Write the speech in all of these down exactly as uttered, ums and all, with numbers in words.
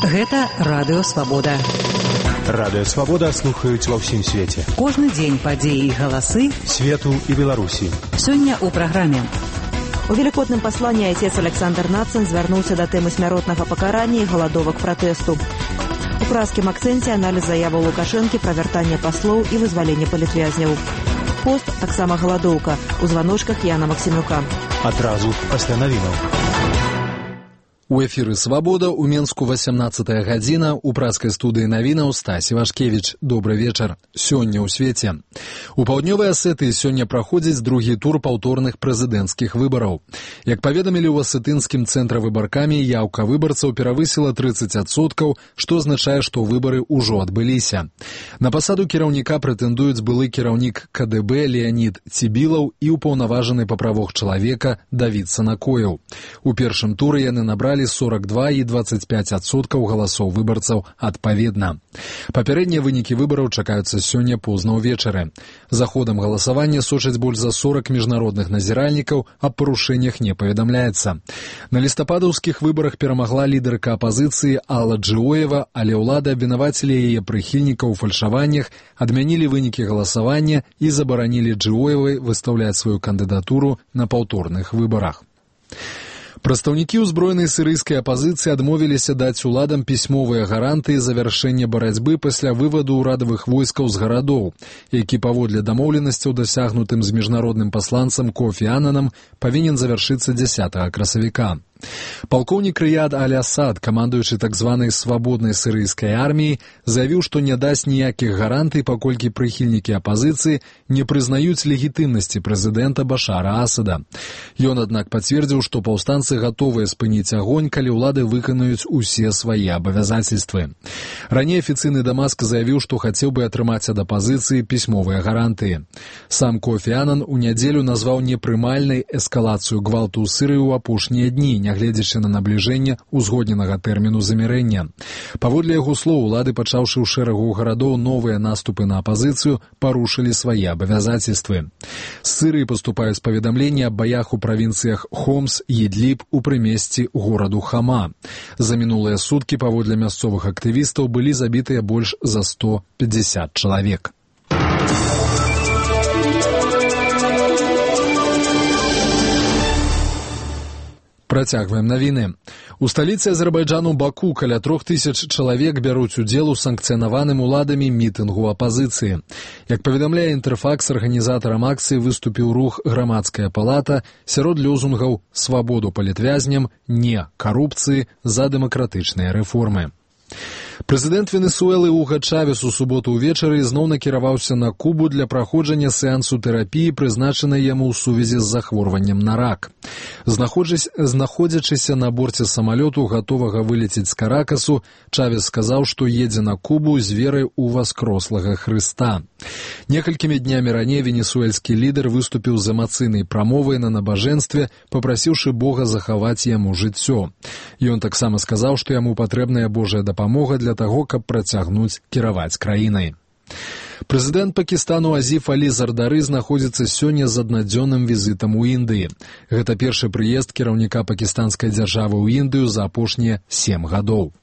Гэта Радыё Свабода. Радыё Свабода слухаюць ва ўсім свеце. Кожны дзень падзеі і галасы свету і Беларусі. Сёння ў праграме. У велікодным пасланні айцец Александр Нацин звярнуўся да тэмы смяротнага пакарання і галадовак пратэсту. У празкім акцэнце аналіз заяваў Лукашэнкі пра вяртанне паслоў і вызваленне палітвязняў. Пост таксама галадоўка у званочках Яна Максімюка. Адразу пасля навінаў. У эфіры «Свабода» у Менску васямнаццатая гадзіна, у празкай студыі навінаў Стась Івашкевіч. Добры вечар. Сёння ў свеце. У паўднёвай Асетыі сёння праходзіць другі тур паўторных прэзідэнцкіх выбараў. Як паведамілі ў асетынскім цэнтры выбаркамі, яўка выбарцаў перавысіла трыццаць адсоткаў, што азначае, што выбары ўжо адбыліся. На пасаду кіраўніка прэтэндуюць былы кіраўнік ка дэ бэ Леанід Цібілаў і ўпаўнаважаны па правах чалавека Давід Санакоеў. У першым туры яны набралі сорок два і дваццаць пяць адсоткаў галасоў выбарцаў адпаведна. Папярэднія вынікі выбараў чакаюцца сёння позна ўвечары. За ходам галасавання сочаць больш за сорок міжнародных назіральнікаў, аб парушэннях не паведамляецца. На лістападаўскіх выбарах перамагла лідарка апазіцыі Алла Джыоева, але ўлады абвінавацілі яе прыхільнікаў у фальшаваннях, адмянілі вынікі галасавання і забаранілі Джыоевай выстаўляць сваю кандыдатуру на паўторных выбарах. Прадстаўнікі ўзброенай сірыйскай апазіцыі адмовіліся даць уладам пісьмовыя гарантыі завяршэння барацьбы пасля вываду ўрадавых войскаў з гарадоў, які паводле дамоўленасцяў, дасягнутым з міжнародным пасланцам Кофі Ананам, павінен завяршыцца дзясятага красавіка. Палкоўнік Рыяд Аль-Асад, камандуючы так званай свабоднай сірыйскай арміяй, заявіў, што не дасць ніякіх гарантый, паколькі прыхільнікі апазіцыі не прызнаюць легітымнасці прэзідэнта Башара Асада. Ён, аднак, пацвердзіў, што паўстанцы гатовыя спыніць агонь, калі ўлады выканаюць усе свае абавязацельствы. Раней афіцыйны Дамаск заявіў, што хацеў бы атрымаць ад апазіцыі пісьмовыя гарантыі. Сам Кофі Анан у нядзелю назваў непрымальнай эскалацыю гвалту ў Сірыі ў апошнія дні, нягледзячы на набліжэнне ўзгодненага тэрміну замірэння. Паводле яго слоў, улады, пачаўшы ў шэрагу гарадоў новыя наступы на апазіцыю, парушылі свае абавязацельствы. З Сырыі паступаюць паведамленні аб баях у правінцыях Хомс і Ідліб у прымесці гораду Хама. За мінулыя суткі, паводле мясцовых актывістаў, былі забітыя больш за сто пятьдесят чалавек. Працягваем навіны. У сталіцы Азербайджану Баку каля трох тысяч чалавек бяруць удзел у санкцыянаваным уладамі мітынгу апазіцыі. Як паведамляе Інтэрфакс, арганізатарам акцыі выступіў рух «Грамадская палата» сярод лёзунгаў «Свабоду палітвязням», «Не карупцыі», «За дэмакратычныя рэформы». Прэзідэнт Венесуэлы Уга Чавес у суботу ўвечары зноў накіраваўся на Кубу для праходжання сеансу тэрапіі, прызначанай яму ў сувязі з захворваннем на рак. Знаходзячыся на борце самалёту, гатовага вылецець з Каракасу, Чавес сказаў, што едзе на Кубу з верай у васкрослага Хрыста. Некалькімі днямі раней венесуэльскі лідар выступіў з эмацыйнай прамовай на набажэнстве, папрасіўшы Бога захаваць яму жыццё. Ён таксама сказаў, што яму патрэбная Божая дапамога для таго, каб працягнуць кіраваць краінай. Прэзідэнт Пакістану Азіф Алі Зардары знаходзіцца сёння з аднадзённым візітам у Індыі. Гэта першы прыезд кіраўніка пакістанскай дзяржавы ў Індыю за апошнія сем гадоў.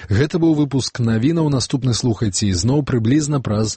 Гэта быў выпуск навінаў, наступны слухайце ізноў прыблізна праз